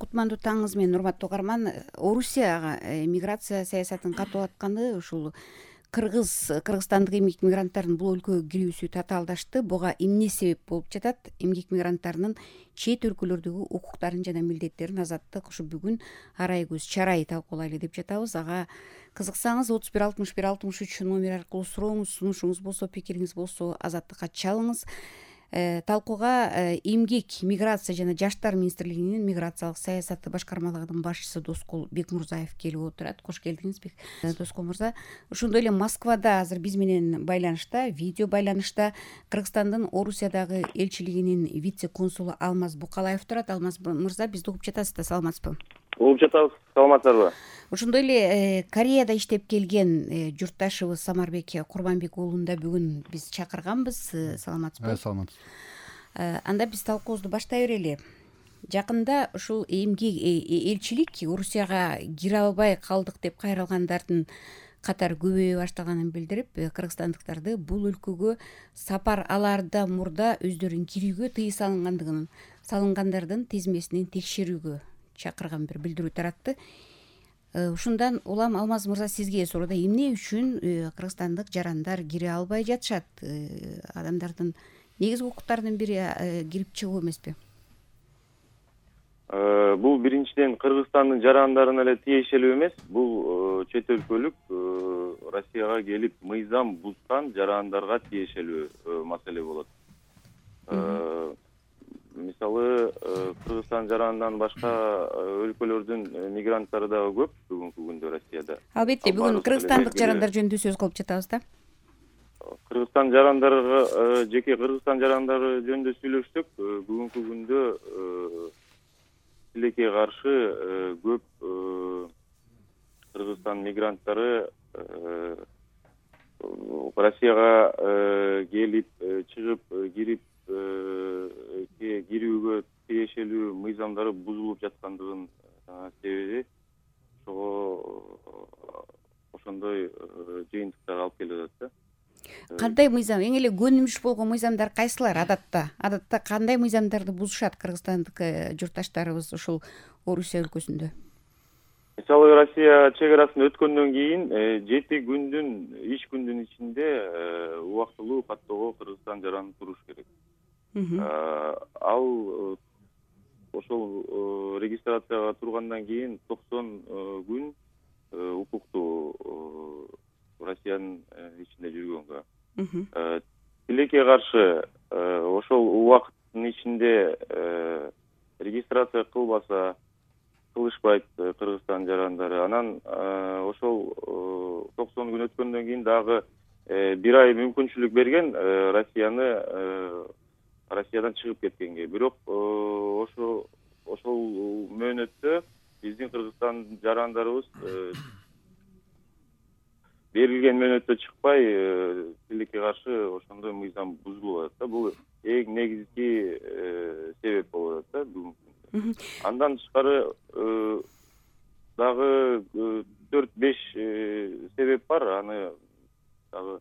кутмандуу таңыңыз менен, урматтуу угарман. Орусияга миграция саясатын катуу атканы ушул кыргызстандык эмгек мигранттардын бул өлкөгө кирүүсү татаалдашты. Буга эмне себеп болуп жатат? Эмгек мигранттарынын чет өлкөлөрдөгү укуктарын жана милдеттерин азаттык ушу бүгүн арай көз чарай талкуулайлы деп жатабыз. Ага кызыксаңыз 31 61 63 номер аркылуу сурооңуз, сунушуңуз болсо, пикириңиз болсо азаттыкка чалыңыз. Талкууга эмгек, миграция жана жаштар министрлигинин миграциялык саясаты башкармалыгынын башчысы Доскол Бекмурзаев келип отурат. Кош келдиңиз, Доскол мырза. Ошондой эле Москвада азыр биз менен байланышта, видео байланышта Кыргызстандын Орусиядагы элчилигинин вице-консулу Алмаз Букалаев турат. Алмаз мырза, бизди угуп жатасыз да, саламатсызбы? Угуп жатабыз, саламатсыздарбы? Ошондой эле Кореяда иштеп келген журтташыбыз Самарбек Курманбек уулун да бүгүн биз чакырганбыз. Саламатсызбы? Саламатсыз. Анда биз талкуубузду баштай берели. Жакында ушул эмгек элчилик Орусияга кире албай калдык деп кайрылгандардын катары көбөйө баштаганын билдирип, кыргызстандыктарды бул өлкөгө сапар алаардан мурда өздөрүнүн кирүүгө тыюу салынгандардын тизмесинин текшерүүгө чакырган бир билдирүү таратты. Ушундан улам Алмаз мырза, сизге суроодо, эмне үчүн кыргызстандык жарандар кире албай жатышат? Адамдардын негизги укуктарынын бири кирип чыгуу эмеспи? Бул биринчиден Кыргызстандын жарандарына эле тиешелүү эмес. Бул чет өлкөлүк Россияга келип мыйзам бузган жарандарга тиешелүү маселе болот. Мисалы, Кыргызстан жаранынан башка өлкөлөрдүн мигранттары дагы көп бүгүнкү күндө Россияда. Албетте, бүгүн кыргызстандык жарандар жөнүндө сөз кылып жатабыз да. Кыргызстан жарандарга, жеке Кыргызстан жарандары жөнүндө сүйлөшсөк, бүгүнкү күндө тилекке каршы көп Кыргызстан мигранттары Россияга келип, чыгып, кирип, кирүүгө тиешелүү мыйзамдары бузулуп жаткандыгын себеби ошондой жыйынтыктар алып келип атат да. Кандай мыйзам, эң эле көнүмүш болгон мыйзамдар кайсылар адатта кандай мыйзамдарды бузушат кыргызстандык журтташтарыбыз ушул Орусия өлкөсүндө? Мисалы, Россия чек арасын өткөндөн кийин 7 күндүн иш күндүн ичинде убактылуу каттоого Кыргызстан жараны туруш керек. Ал ошол регистрацияга тургандан кийин 90 күн укуктуу Россиянын ичинде жүргөнгө. Тилекке каршы ошол убакыттын ичинде регистрация кылышпайт Кыргызстан жарандары. Анан ошол 90 күн өткөндөн кийин дагы 1 ай мүмкүнчүлүк берген Россиядан чыгып кеткенге. Бирок ошол мөөнөттө биздин Кыргызстан жарандарыбыз берилген мөөнөттө чыкпай, тилекке каршы ошондой мыйзам бузулуп атат да. Бул эң негизги себеп болуп атат да бүгүнкү. Андан тышкары дагы 4-5 себеп бар. Аны дагы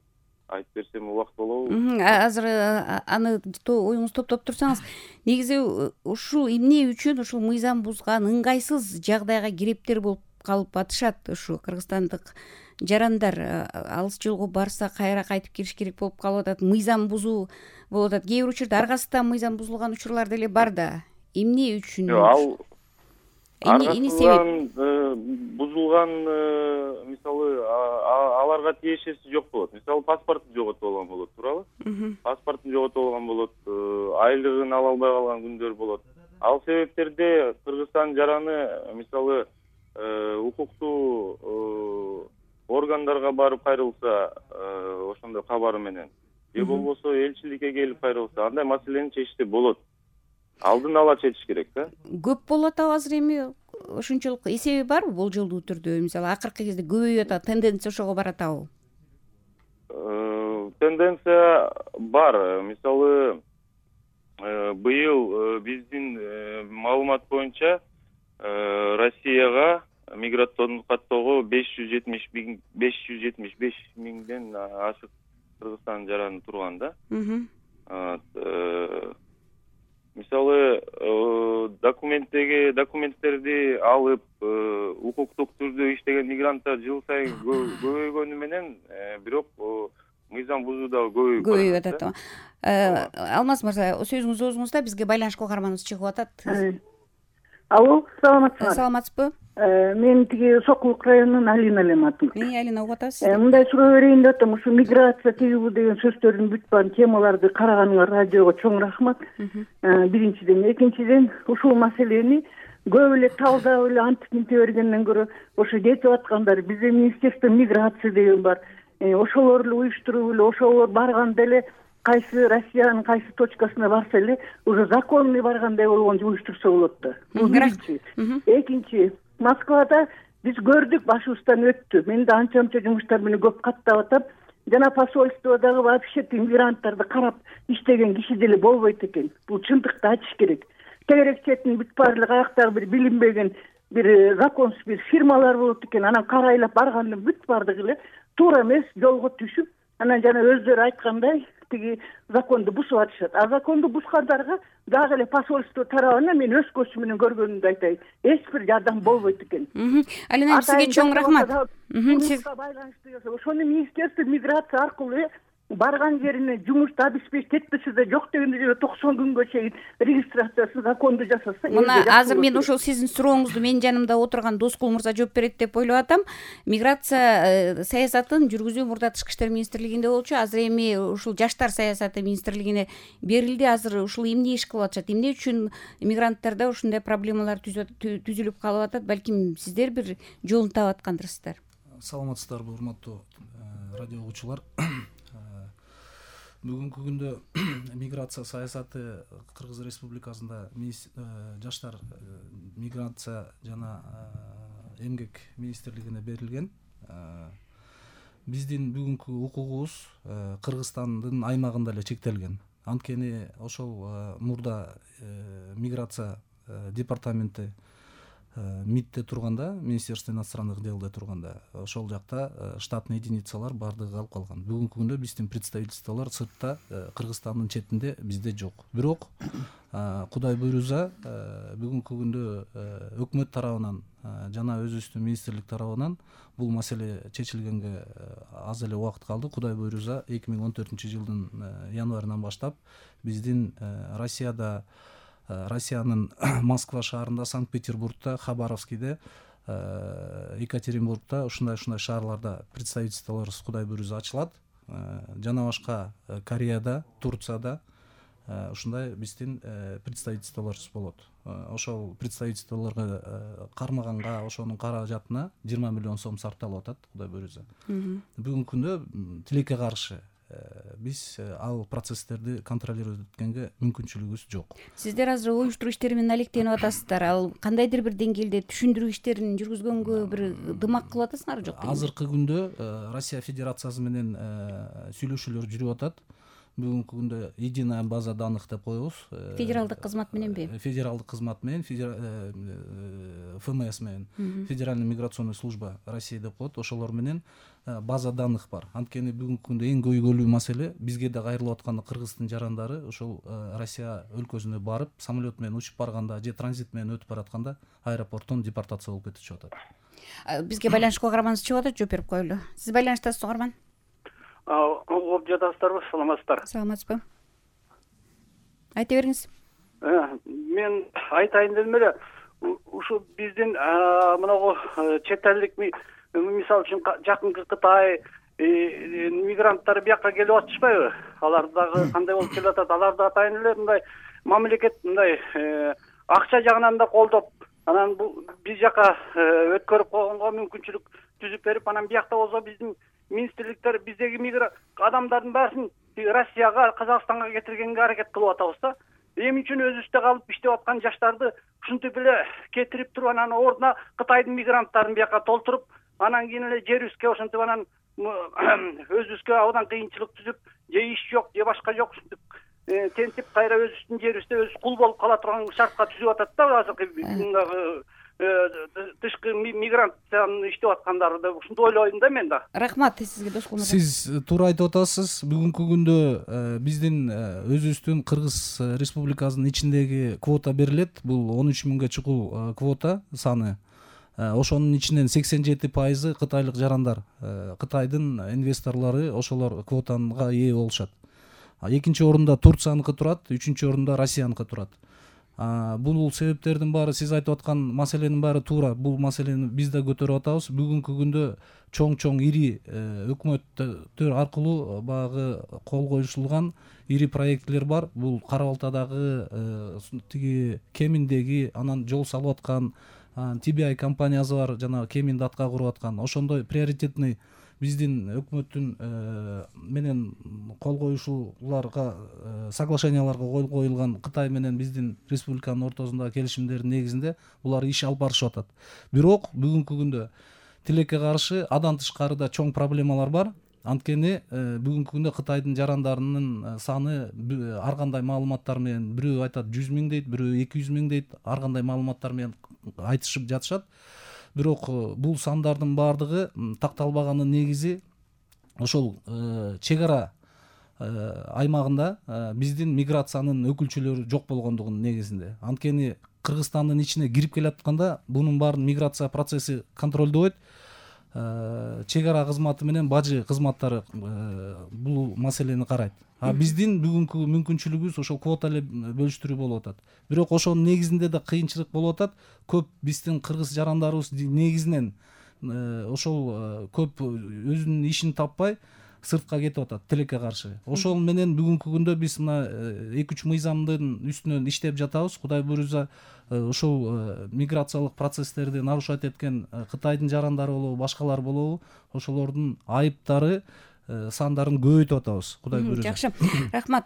айтып берсем убакыт болобу? Азыр аны оюңузду топтоп турсаңыз, негизи ушул эмне үчүн ушул мыйзам бузган ыңгайсыз жагдайга кирептер болуп калып атышат ушу кыргызстандык жарандар? Алыс жолго барса кайра кайтып кириш керек болуп калып атат, мыйзам бузуу болуп атат. Кээ бир учурда аргасыздан мыйзам бузулган учурлар деле бар да. Эмне үчүн? Ал аргасыздан бузулган, мисалы, аларга тиешеси жок болот. Мисалы, паспортун жоготуп алган болот, туурабы? Паспортун жоготуп алган болот, айлыгын ала албай калган күндөр болот. Ал себептерде Кыргызстан жараны, мисалы, укуктуу органдарга барып кайрылса, ошондой кабары менен, же болбосо элчиликке келип кайрылса, андай маселени чечсе болот. Алдын ала чечиш керек да. Көп болуп атабы азыр эми? Ошончолук эсеби барбы болжолдуу түрдө? Мисалы, акыркы кезде көбөйүп атат, тенденция ошого баратабы? Тенденция бар. Мисалы, быйыл биздин маалымат боюнча Россияга миграциондук каттоого 575 миңден ашык Кыргызстан жараны турган да. Мисалы, документтер көбөйүп атат. Алмаз мырза, сөзүңүздү өзүңүздө, бизге байланышка каарманыбыз чыгып атат. Алло, саламатсызбы? Саламатсызбы? Мен тиги Сокулук районунун Алина элем атым. Алина, угуп атасыз. Мындай суроо берейин деп атам. Ушу миграция тигибу деген сөздөрдүн бүт баарын темаларды караганыңа радиого чоң рахмат. Биринчиден, экинчиден, ушул маселени көп эле талдап эле антип минте бергенден көрө ошо кетип аткандар бизде министерство миграция деген бар. Ошолор эле уюштуруп эле, ошолор барганда эле кайсы Россиянын кайсы точкасына барса эле уже законный баргандай болгончу уюштурса болот да. Бул биринчи. Экинчи, Москвада биз көрдүк, башыбыздан өттү. Мен да анча-мынча жумуштар менен көп каттап атам. Жана посольстводагы вообще мигранттарды карап иштеген киши деле болбойт экен. Бул чындыкты айтыш керек. Тегерек четин бүт баарлык аяктагы бир билинбеген бир законсуз бир фирмалар болот экен. Анан карайлап баргандын бүт баардыгы эле туура эмес жолго түшүп, анан жана өздөрү айткандай тиги законду бузуп атышат. Законду бузгандарга дагы эле посольство тарабынан мен өз көзүм менен көргөнүмдү айтайын. Эч бир жардам болбойт экен. Алина, сизге чоң рахмат. Ошону министерство миграция аркылуу барган жерине жумушту обеспечить этпесе да жок дегенде 90 күнгө чейин регистрациясын законду жасаса. Мына азыр мен ошол сиздин сурооңузду менин жанымда отурган Доскул мырза жооп берет деп ойлоп атам. Миграция саясатын жүргүзүү мурда Тышкы иштер министрлигинде болчу, азыр эми ушул жаштар саясаты министрлигине берилди. Азыр ушул эмне иш кылып атышат? Эмне үчүн мигранттарда ушундай проблемалар түзүлүп калып атат? Балким сиздер бир жолун таап аткандырсыздар. Саламатсыздарбы, урматтуу радио угуучулар. Бүгүнкү күндө миграция саясаты Кыргыз Республикасында жаштар миграция жана эмгек министрлигине берилген. Биздин бүгүнкү укугубуз Кыргызстандын аймагында эле чектелген. Анткени ошол мурда миграция департаменти МИДте турганда, Министерство иностранных делде турганда, ошол жакта штатный единицалар баардыгы калып калган. Бүгүнкү күндө биздин представительстволор сыртта, Кыргызстандын четинде, бизде жок. Бирок Кудай буйруза бүгүнкү күндө өкмөт тарабынан жана өзүбүздүн министрлик тарабынан бул маселе чечилгенге аз эле убакыт калды. Кудай буйруза 2014-жылдын январынан баштап биздин Россиянын Москва шаарында, Санкт-Петербургда, Хабаровскийде, Екатеринбургда, ушундай шаарларда представительстволорубуз Кудай буйруза ачылат. Жана башка Кореяда, Турцияда ушундай биздин представительстволорубуз болот. Ошол представительстволорго кармаганга, ошонун каражатына 20 миллион сом сарпталып атат Кудай буйруза. Бүгүнкү күндө тилекке каршы биз ал процесстерди контролировать эткенге мүмкүнчүлүгүбүз жок. Сиздер азыр уюштуруу иштери менен алектенип атасыздар. Ал кандайдыр бир деңгээлде түшүндүрүү иштерин жүргүзгөнгө бир дымак кылып атасыңарбы, жокпу? Азыркы күндө Россия Федерациясы менен сүйлөшүүлөр жүрүп атат. Бүгүнкү күндө единая база данных деп коебуз. Федералдык кызмат мененби? Федералдык кызмат менен, ФМС менен, Федеральная миграционная служба России деп коет. Ошолор менен база данных бар. Анткени бүгүнкү күндө эң көйгөйлүү маселе бизге да кайрылып аткан кыргыздын жарандары ошол Россия өлкөсүнө барып, самолет менен учуп барганда же транзит менен өтүп баратканда аэропорттон депортация болуп кетишип атат. Бизге байланышка каарманыбыз чыгып атат, жооп берип коелу. Сиз байланыштасыз, каарман? Угуп жатасыздарбы, саламатсыздар? Саламатсызбы? Айта бериңиз. Мен айтайын дедим эле, ушу биздин мынагу чет элдик, мисалы үчүн жакынкы Кытай мигранттары бияка келип атышпайбы? Алар дагы кандай болуп келип атат? Аларды атайын эле мындай мамлекет мындай акча жагынан да колдоп, анан бул биз жака өткөрүп койгонго мүмкүнчүлүк түзүп берип, анан биякта болсо биздин министрликтер биздеги адамдардын баарын Россияга, Казакстанга кетиргенге аракет кылып атабыз да. Эмне үчүн өзүбүздө калып иштеп аткан жаштарды ушинтип эле кетирип туруп, анан ордуна Кытайдын мигранттарын бияка толтуруп, анан кийин эле жерибизге ошентип анан өзүбүзгө абдан кыйынчылык түзүп, же иш жок, же башка жок, ушинтип тентип кайра өзүбүздүн жерибизде өзү кул болуп кала турган шартка түзүп атат да азыркы тышкы миграцияны иштеп аткандары деп ушинтип ойлойм да мен да. Рахмат сизге, Доскул мырза. Сиз туура айтып атасыз. Бүгүнкү күндө биздин өзүбүздүн Кыргыз Республикасынын ичиндеги квота берилет. Бул 13 миңге чукул квота саны. Ошонун ичинен 87% кытайлык жарандар. Кытайдын инвесторлору ошолор квотага ээ болушат. экинчи орунда Турцияныкы турат, үчүнчү орунда Россияныкы турат. Бул себептердин баары, сиз айтып аткан маселенин баары туура. Бул маселени биз да көтөрүп атабыз. Бүгүнкү күндө чоң ири өкмөттөр аркылуу баягы кол коюшулган ири проектлер бар. Бул Кара Балтадагы тиги Кеминдеги, анан жол салып аткан TBI компаниясы бар, жана Кеминди атка куруп аткан. Ошондой приоритетный биздин өкмөттүн менен кол коюшууларга, соглашенияларга кол коюлган Кытай менен биздин республиканын ортосундагы келишимдердин негизинде булар иш алып барышып атат. Бирок бүгүнкү күндө тилекке каршы андан тышкары да чоң проблемалар бар. Анткени бүгүнкү күндө Кытайдын жарандарынын саны ар кандай маалыматтар менен, бирөө айтат 100 000 дейт, бирөө 200 000 дейт, ар кандай маалыматтар менен айтышып жатышат. Бирок бул сандардын баардыгы такталбаганын негизи ошол чек ара аймагында биздин миграциянын өкүлчүлөрү жок болгондугунун негизинде. Анткени Кыргызстандын ичине кирип келатканда бунун баарын миграция процесси контролдобойт. Чек ара кызматы менен бажы кызматтары бул маселени карайт. Биздин бүгүнкү мүмкүнчүлүгүбүз ошол квота эле бөлүштүрүү болуп атат. Бирок ошонун негизинде да кыйынчылык болуп атат. Көп биздин кыргыз жарандарыбыз негизинен ошол көп өзүнүн ишин таппай сыртка кетип атат тилекке каршы. Ошол менен бүгүнкү күндө биз мына 2-3 мыйзамдын үстүнөн иштеп жатабыз. Кудай буйрса ошол миграциялык процесстерди нарушать эткен Кытайдын жарандары болобу, башкалар болобу, ошолордун айыптары сандарын көбөйтүп атабыз. Кудай буйрса. Жакшы. Рахмат.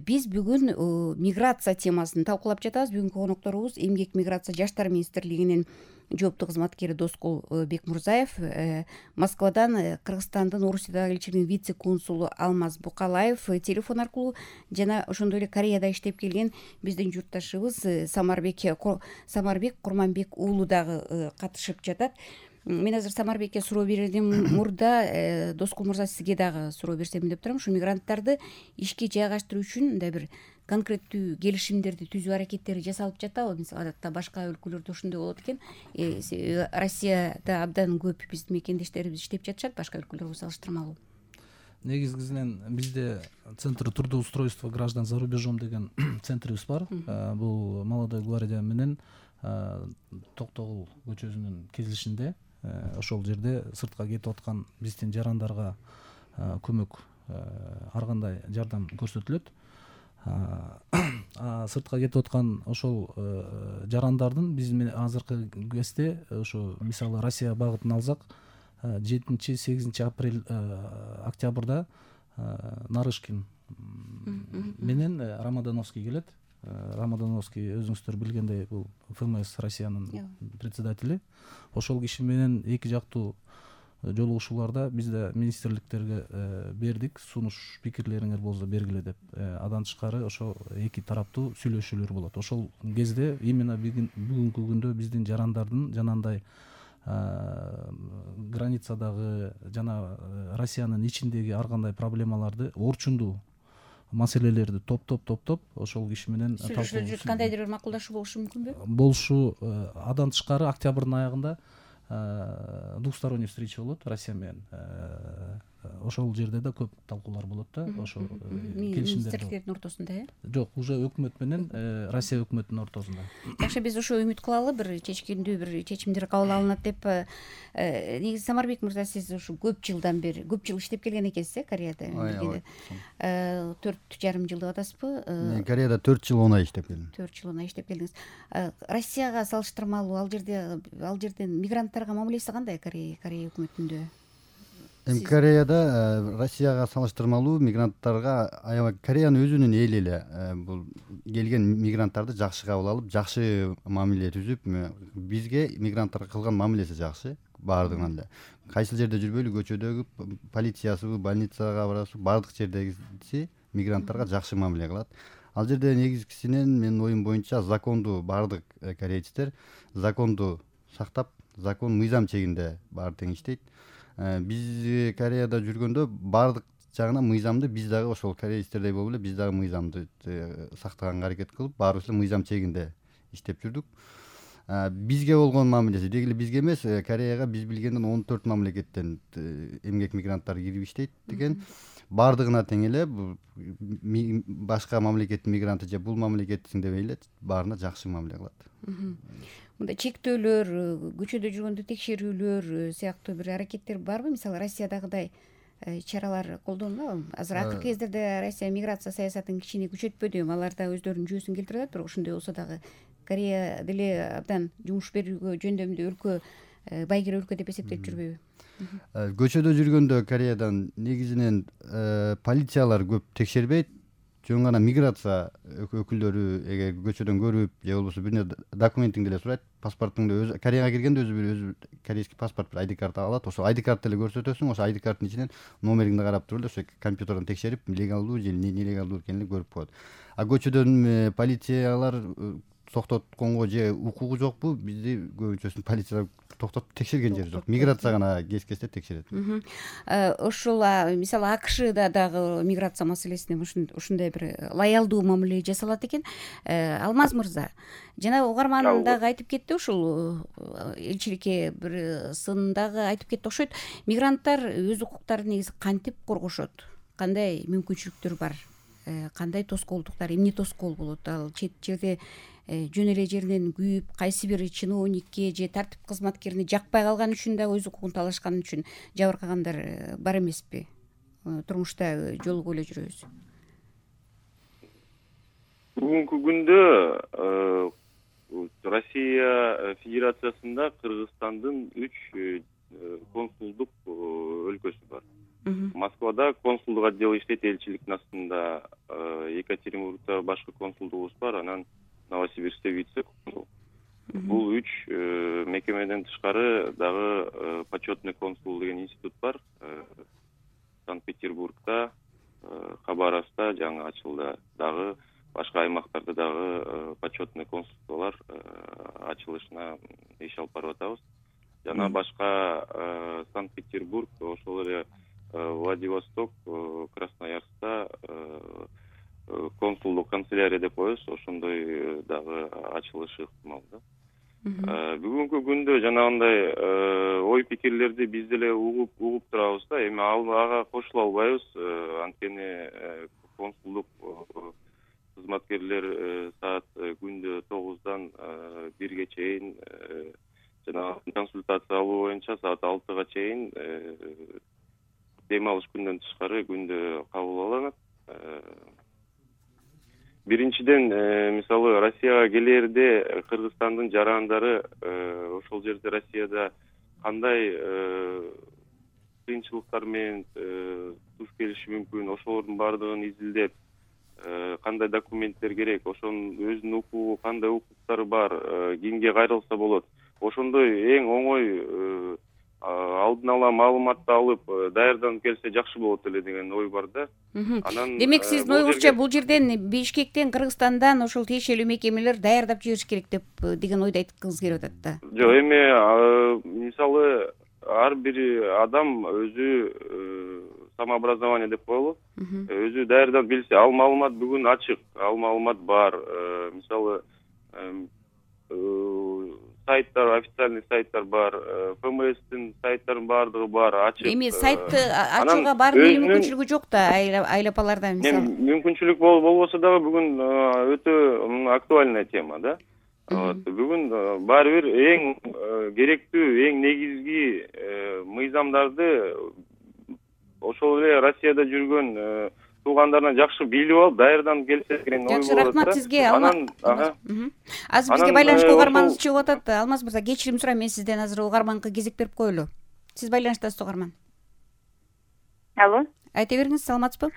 Биз бүгүн миграция темасын талкуулап жатабыз. Бүгүнкү конокторубуз Эмгек миграция жаштар министрлигинин жооптуу кызматкери Доскул Бекмурзаев, Москвадан Кыргызстандын Орусиядагы элчилигинин вице консулу Алмаз Букалаев телефон аркылуу, жана ошондой эле Кореяда иштеп келген биздин журтташыбыз Самарбек Курманбек уулу дагы катышып жатат. Мен азыр Самарбекке суроо берерден мурда Доскул мырза, сизге дагы суроо берсем деп турам. Ушу мигранттарды ишке жайгаштыруу үчүн мындай бир конкреттүү келишимдерди түзүү аракеттери жасалып жатабы? Мисалы адатта башка өлкөлөрдө ошондой болот экен. Россияда абдан көп биздин мекендештерибиз иштеп жатышат, башка өлкөлөргө салыштырмалуу. Негизинен бизде Центр трудоустройства граждан за рубежом деген центрибиз бар. Бул Молодой гвардия менен Токтогул көчөсүнүн кесилишинде. Ошол жерде сыртка кетип аткан биздин жарандарга көмөк, ар кандай жардам көрсөтүлөт. Сыртка кетип аткан ошол жарандардын биз азыркы кезде ошо мисалы Россия багытын алсак, 7-8 октябрда Нарышкин менен Рамадановский келет. Рамадановский өзүңүздөр билгендей бул ФМС Россиянын председатели. Ошол киши менен эки жактуу жолугушууларда биз да министрликтерге бердик, сунуш пикирлериңер болсо бергиле деп. Андан тышкары ошо эки тараптуу сүйлөшүүлөр болот. Ошол кезде именно бүгүнкү күндө биздин жарандардын жанагындай границадагы жана Россиянын ичиндеги ар кандай проблемаларды, орчундуу маселелерди топтоп ошол киши менен сүйлөшүп кандайдыр бир макулдашуу болушу мүмкүнбү? Болушу. Андан тышкары октябрдын аягында двусторонний встреча болот Россия менен. Ошол жерде да көп талкуулар болот да, ошо министрликтердин ортосунда, Жок, уже өкмөт менен Россия өкмөтүнүн ортосунда. Жакшы, биз ошо үмүт кылалы, бир чечкиндүү бир чечимдер кабыл алынат деп. Негизи Самарбек мырза, сиз ушу көп жыл иштеп келген экенсиз, Кореяда. 4,5 жылдык атасызбы? Мен Кореяда 4 жыл 10 ай иштеп келдим. 4 жыл 10 ай иштеп келдиңиз. Россияга салыштырмалуу ал жерден мигранттарга мамилеси кандай Корея өкмөтүндө? Кореяда Россияга салыштырмалуу мигранттарга аябай Кореянын өзүнүн эли эле бул келген мигранттарды жакшы кабыл алып, жакшы мамиле түзүп, бизге мигранттарга кылган мамилеси жакшы баардыгынан эле. Кайсыл жерде жүрбөйлү, көчөдөгү полициясыбы, больницага барасызбы, баардык жердегиси мигранттарга жакшы мамиле кылат. Ал жерде негизгисинен менин оюм боюнча законду баардык корейчтер законду сактап, закон мыйзам чегинде баары тең иштейт. Биз Кореяда жүргөндө баардык жагынан мыйзамды биз дагы ошол корейчтердей болуп эле биз дагы мыйзамды сактаганга аракет кылып, баарыбыз эле мыйзам чегинде иштеп жүрдүк. Бизге болгон мамилеси деги эле бизге эмес, Кореяга биз билгенден 14 мамлекеттен эмгек мигранттар кирип иштейт деген. баардыгына тең эле башка мамлекеттин мигранты же бул мамлекеттин деп эле баарына жакшы мамиле кылат. Мындай чектөөлөр, көчөдө жүргөндө текшерүүлөр сыяктуу бир аракеттер барбы? Мисалы Россиядагыдай чаралар колдонулабы? Азыр акыркы кездерде Россия миграция саясатын кичине күчөтпөдү, алар да өздөрүнүн жүйөсүн келтирип атат, бирок ошондой болсо дагы Корея деле абдан жумуш берүүгө жөндөмдүү өлкө, байгер өлкө деп эсептелип жүрбөйбү? Көчөдө жүргөндө Кореядан негизинен полициялар көп текшербейт. Жөн гана миграция өкүлдөрү эгер көчөдөн көрүп же болбосо бир документиңди эле сурайт, паспортуңду өзү Кореяга киргенде өзү корейский паспорт, бир ID карт алат. Ошол ID картты эле көрсөтөсүң, ошо ID карттын ичинен номериңди карап туруп эле ошо компьютерден текшерип, легалдуу же нелегалдуу экенин көрүп коет. А көчөдөн полициялар токтотконго же укугу жокпу? Бизди көбүнчөсүн полициялар токтотуп текшерген жери жок. Миграция гана кез-кезде текшерет. Ошол мисалы АКШда дагы миграция маселесине ушундай бир лоялдуу мамиле жасалат экен. Алмаз мырза, жана угарман дагы айтып кетти, ушул элчиликке бир сындагы айтып кетти окшойт. Мигранттар өз укуктарын негизи кантип коргошот? Кандай мүмкүнчүлүктөр бар? Кандай тоскоолдуктар, эмне тоскоол болот? Ал чет жерде жөн эле жеринен күйүп, кайсы бир чиновникке же тартип кызматкерине жакпай калган үчүн да өз укугун талашкан үчүн жабыркагандар бар эмеспи? Турмушта жолугуп эле жүрөбүз. Бүгүнкү күндө Россия Федерациясында Кыргызстандын 3 консулдук өлкөсү бар. Москвада консулдук отдел иштейт, элчиликтин астында. Екатеринбургда башкы консулдугубуз бар, анан Новосибирскте вице-консул. Бул 3 мекемеден тышкары дагы почетный консул деген институт бар. Санкт-Петербургда, Хабаровскта жаңы ачылды. Дагы башка аймактарда дагы почетный консулдуктар ачылышына иш алып барып атабыз. Жана башка Санкт-Петербург, ошол эле Владивосток, Красноярскта консулдук канцелярия деп коебуз, ошондой дагы ачылышы ыктымал да. Бүгүнкү күндө жанагындай ой пикирлерди биз деле угуп турабыз да, эми ага кошула албайбыз. Анткени консулдук кызматкерлер саат күндө 9-дан 1-ге чейин жана консультация алуу боюнча саат 6-га чейин дем алыш күндөн тышкары күндө кабыл алынат. Биринчиден, мисалы Россияга келерде Кыргызстандын жарандары ошол жерде Россияда кандай кыйынчылыктар менен туш келиши мүмкүн, ошолордун баардыгын изилдеп, кандай документтер керек, ошонун өзүнүн укугу, кандай укуктары бар, кимге кайрылса болот. Ошондой эң оңой алдын ала маалыматты алып даярданып келсе жакшы болот эле деген ой бар да. Анан демек сиздин оюңузча бул жерден Бишкектен, Кыргызстандан ошол тиешелүү мекемелер даярдап жибериш керек деген ойду айткыңыз келип атат да. Жок, эми мисалы ар бир адам өзү самообразование деп коелу, өзү даярдап билсе, ал маалымат бүгүн ачык, ал маалымат бар. Мисалы сайттар, официальный сайттар бар, ФМСтин сайттарынын баардыгы бар, ачык. Эми сайтты ачууга баардык мүмкүнчүлүгү жок да айлапаларда мисалы. Мүмкүнчүлүк болбосо дагы бүгүн өтө актуальная тема да. Бүгүн баары бир эң керектүү, эң негизги мыйзамдарды ошол эле Россияда жүргөн туугандарына жакшы билип алып, даярданып келсе деген ой болот. Жакшы, рахмат сизге. Азыр бизге байланышка угарманыбыз чыгып атат. Алмаз мырза, кечирим сурайм, мен сизден азыр угарманга кезек берип коелу. Сиз байланыштасыз, угарман. Алло. Айта бериңиз, саламатсызбы?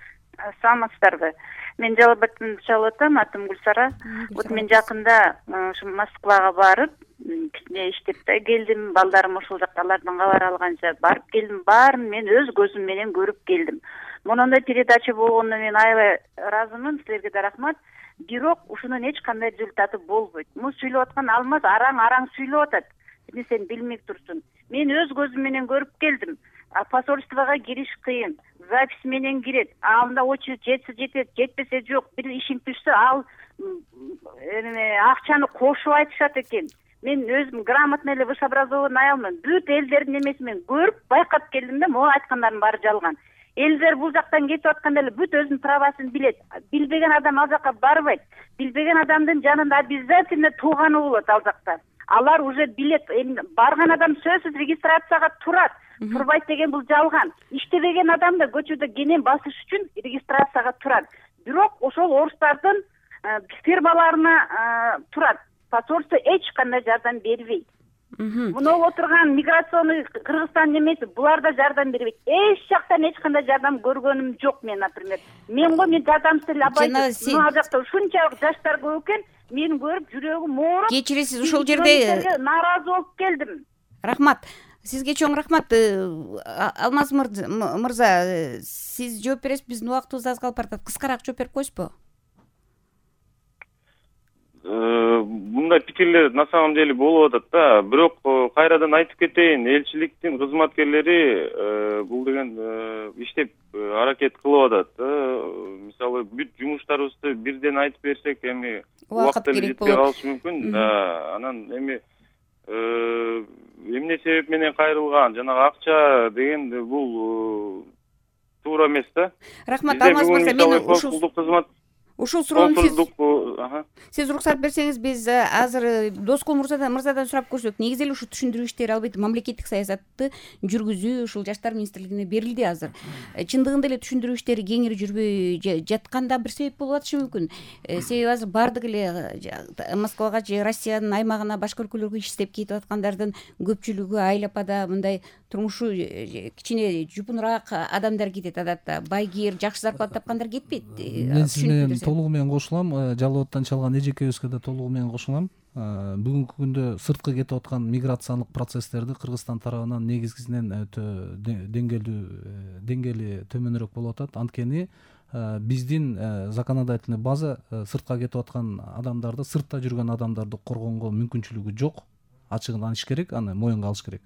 Саламатсыздарбы? Мен жалап атам, атым Гүлсара. Вот мен жакында ушу Москвага барып, кичине иштеп да келдим. Балдарым ошол жакта, алардан кабар алганча барып келдим. Баарын мен өз көзүм менен көрүп келдим. Монундай передача болгондо мен аябай ыраазымын, силерге да рахмат. Бирок ушунун эч кандай результаты болбойт. Муну сүйлөп аткан Алмаз араң сүйлөп атат. Сен билмей турсуң. Мен өз көзүм менен көрүп келдим. Посольствого кириш кыйын. Запись менен кирет. Анда очередь жетсе жетет, жетпесе жок. Бир ишин түшсө ал акчаны кошуп айтышат экен. Мен өзүм грамотный эле высшеобразованный аялмын. Бүт элдердин эмесин мен көрүп байкап келдим да, могу айткандардын баары жалган. элдер бул жактан кетип атканда эле бүт өзүнүн правасын билет. Билбеген адам ал жака барбайт. Билбеген адамдын жанында обязательно тууганы болот ал жакта. Алар уже билет. Барган адам сөзсүз регистрацияга турат. Турбайт деген бул жалган. Иштебеген адам да көчөдө кенен басыш үчүн регистрацияга турат. Бирок ошол орустардын фирмаларына турат. Посольство эч кандай жардам бербейт. Мына отурган миграционный Кыргызстан эмеси булар да жардам бербейт. Эч жактан эч кандай жардам көргөнүм жок мен, например. Мен жардамсыз эле абайсыз. Мына жакта ушунчалык жаштар көп экен, мени көрүп жүрөгүм ооруп. Кечиресиз, ушул жерде нааразы болуп келдим. Рахмат. Сизге чоң рахмат. Алмаз мырза, сиз жооп бересиз, биздин убактыбыз аз калып баратат. Кыскараак жооп берип коесузбу? Мындай пикирлер на самом деле болуп атат да. Бирок кайрадан айтып кетейин, элчиликтин кызматкерлери бул деген иштеп аракет кылып атат. Мисалы бүт жумуштарыбызды бирден айтып берсек эми убакыт керек болот. Калышы мүмкүн. Анан эми эмне себеп менен кайрылган, жанагы акча деген бул туура эмес да. Рахмат, Алмаз мырза, мен ушул суроону сиз уруксат берсеңиз, биз азыр Доскул мырзадан сурап көрсөк. Негизи эле ушу түшүндүрүү иштери албетте мамлекеттик саясатты жүргүзүү ушул жаштар министрлигине берилди азыр. Чындыгында эле түшүндүрүү иштери кеңири жүрбөй жатканда бир себеп болуп атышы мүмкүн. Себеби азыр баардык эле Москвага же Россиянын аймагына, башка өлкөлөргө иш издеп кетип аткандардын көпчүлүгү айлапада мындай турмушу кичине жупунураак адамдар кетет адатта. Байгир, жакшы зарплата тапкандар кетпейт. Мен сиз менен толугу менен кошулам. Жалал абадтан чалган эжекебизге да толугу менен кошулам. Бүгүнкү күндө сырткы кетип аткан миграциялык процесстерди Кыргызстан тарабынан негизгисинен өтө деңгээли төмөнүрөөк болуп атат. Анткени биздин законодательный база сыртка кетип аткан адамдарды, сыртта жүргөн адамдарды коргонго мүмкүнчүлүгү жок. Ачыгын айтыш керек, аны моюнга алыш керек.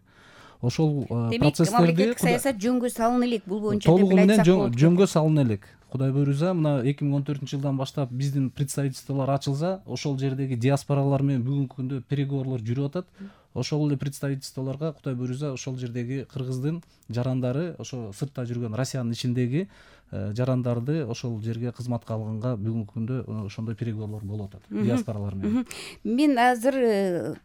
Ошол процесстерди мамлекеттик саясат жөнгө салына элек, бул боюнча толугу менен жөнгө салына элек. Кудай буйруза, мына 2014-жылдан баштап биздин представительстволор ачылса, ошол жердеги диаспоралар менен бүгүнкү күндө переговорлор жүрүп атат. Ошол эле представительстволорго Кудай буйруза ошол жердеги кыргыздын жарандары, ошо сыртта жүргөн Россиянын ичиндеги жарандарды ошол жерге кызматка алганга бүгүнкү күндө ошондой переговорлор болуп атат диаспоралар менен. Мен азыр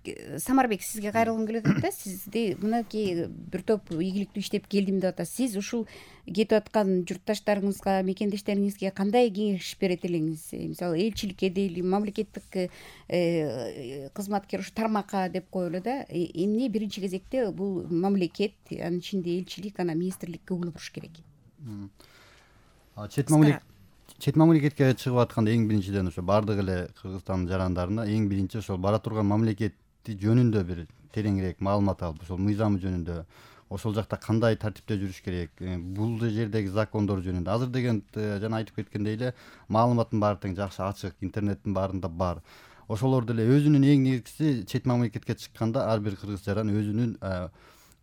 Самарбек сизге кайрылгым келип атат да. Сизди мынакей бир топ ийгиликтүү иштеп келдим деп атасыз. Сиз ушул кетип аткан журтташтарыңызга, мекендештериңизге кандай кеңеш берет элеңиз? Мисалы, элчиликке дейли, мамлекеттик кызматкер ушу тармакка деп коелу да. Эмне биринчи кезекте бул мамлекет, анын ичинде элчилик, анан министрлик көңүл буруш керек? Чет мамлекетке чыгып атканда эң биринчиден ошо баардык эле Кыргызстандын жарандарына эң биринчи ошол бара турган мамлекети жөнүндө бир тереңирээк маалымат алып, ошол мыйзамы жөнүндө, ошол жакта кандай тартипте жүрүш керек, бул жердеги закондор жөнүндө. Азыр деген жана айтып кеткендей эле маалыматтын баары тең жакшы ачык, интернеттин баарында бар. Ошолор деле өзүнүн эң негизгиси чет мамлекетке чыкканда ар бир кыргыз жаран өзүнүн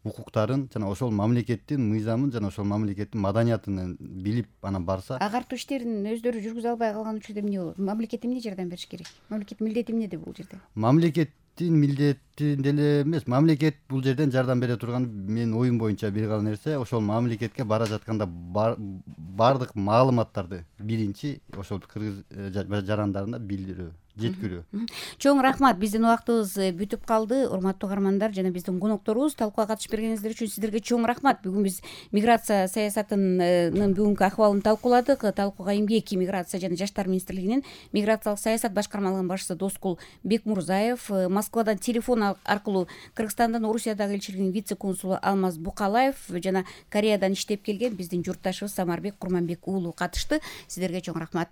укуктарын жана ошол мамлекеттин мыйзамын жана ошол мамлекеттин маданиятын билип анан барса. Агартуу иштерин өздөрү жүргүзө албай калган учурда эмне болот? Мамлекет эмне жардам бериш керек? Мамлекеттин милдети эмнеде бул жерде? Мамлекеттин милдети деле эмес, мамлекет бул жерден жардам бере турган менин оюм боюнча бир гана нерсе, ошол мамлекетке бара жатканда баардык маалыматтарды биринчи ошол кыргыз жарандарына билдирүү, жеткирүү. Чоң рахмат. Биздин убактыбыз бүтүп калды. Урматтуу каармандар жана биздин конокторубуз, талкууга катышып бергениңиздер үчүн сиздерге чоң рахмат. Бүгүн биз миграция саясатынын бүгүнкү акыбалын талкууладык. Талкууга эмгек, миграция жана жаштар министрлигинин миграциялык саясат башкармалыгынын башчысы Доскул Бекмурзаев, Москвадан телефон аркылуу Кыргызстандын Орусиядагы элчилигинин вице консулу Алмаз Букалаев жана Кореядан иштеп келген биздин журтташыбыз Самарбек Курманбек уулу катышты. Сиздерге чоң рахмат.